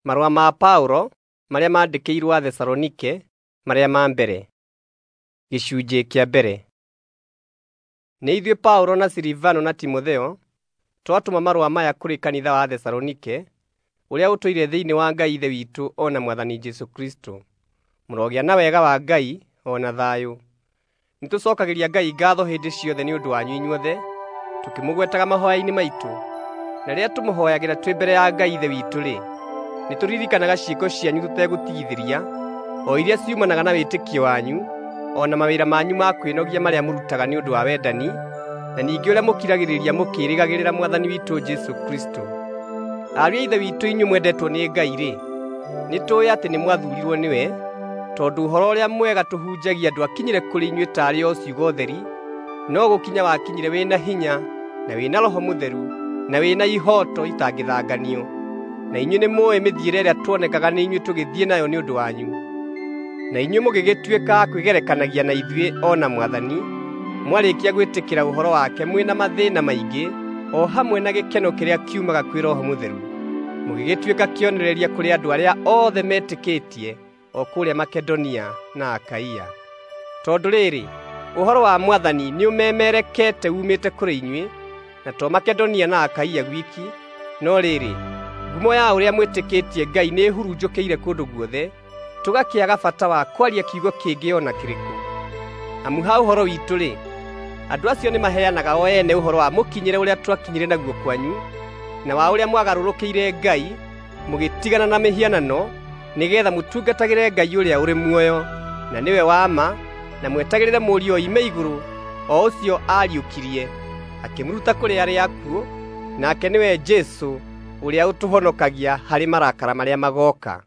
Marũa ma Paũlo marĩa maandĩkĩirwo Athesalonike marĩa ma mbere. Gĩcunjĩ kĩa mbere. Nĩ ithuĩ Paũlo na Silivano na Timotheo twatũma marũa maya kũrĩ kanitha wa Athesalonike ũrĩa ũtũire thĩinĩ wa Ngai Ithe witũ o na Mwathani Jesũ Kristũ. Mũrogĩa na wega wa Ngai o na thayũ. Nĩtũcookagĩria Ngai ngaatho hĩndĩ ciothe nĩ ũndũ wanyu inyuothe, tũkĩmũgwetaga mahooya-inĩ maitũ. Na rĩrĩa tũmũhooyagĩra twĩ mbere ya Ngai Ithe witũ-rĩ, nĩtũririkanaga ciĩko cianyu tũtegũtigithĩria, o iria ciumanaga na wĩtĩkio wanyu, o na mawĩra manyu ma kwĩnogia marĩa mũrutaga nĩ ũndũ wa wendani, na ningĩ ũrĩa mũkiragĩrĩria mũkĩĩrĩgagĩrĩra Mwathani witũ Jesũ Kristũ. Ariũ a Ithe witũ inyuĩ mwendetwo nĩ Ngai-rĩ, nĩtũũĩ atĩ nĩmwathuurirwo nĩwe, tondũ Ũhoro-ũrĩa-Mwega tũhunjagia ndwakinyire kũrĩ inyuĩ taarĩ o ciugo theri, no gũkinya wakinyire wĩ na hinya, na wĩ na Roho Mũtheru, na wĩ na ihooto itangĩthanganio. Na inyuĩ nĩmũũĩ mĩthiĩre ĩrĩa tuonekaga nĩ inyuĩ tũgĩthiĩ nayo nĩ ũndũ wanyu. Na inyuĩ mũgĩgĩtuĩka a kwĩgerekanagia na ithuĩ o na Mwathani, mwarĩkia gwĩtĩkĩra ũhoro wake mwĩ na mathĩĩna maingĩ, o hamwe na gĩkeno kĩrĩa kiumaga kwĩ Roho Mũtheru. Mũgĩgĩtuĩka kĩonereria kũrĩ andũ arĩa othe metĩkĩtie o kũrĩa Makedonia na Akaia. Tondũ rĩrĩ, ũhoro wa Mwathani nĩũmemerekete uumĩte kũrĩ inyuĩ, na to Makedonia na Akaia gwiki, no rĩrĩ, ngumo ya ũrĩa mwĩtĩkĩtie Ngai nĩĩhurunjũkĩire kũndũ guothe, tũgakĩaga bata wa kwaria kiugo kĩngĩ o na kĩrĩkũ. Amu ha ũhoro witũ-rĩ, andũ acio nĩmaheanaga o ene ũhoro wa mũkinyĩre ũrĩa twakinyire naguo kwanyu, na wa ũrĩa mwagarũrũkĩire Ngai, mũgĩtigana na mĩhianano, nĩgeetha mũtungatagĩre Ngai ũrĩa ũrĩ muoyo, na nĩwe wa ma, na mwetagĩrĩre Mũriũ oime igũrũ, o ũcio aariũkirie, akĩmũruta kũrĩ arĩa akuũ, nake nĩwe Jesũ ũrĩa ũtũhonokagia harĩ marakara marĩa magooka.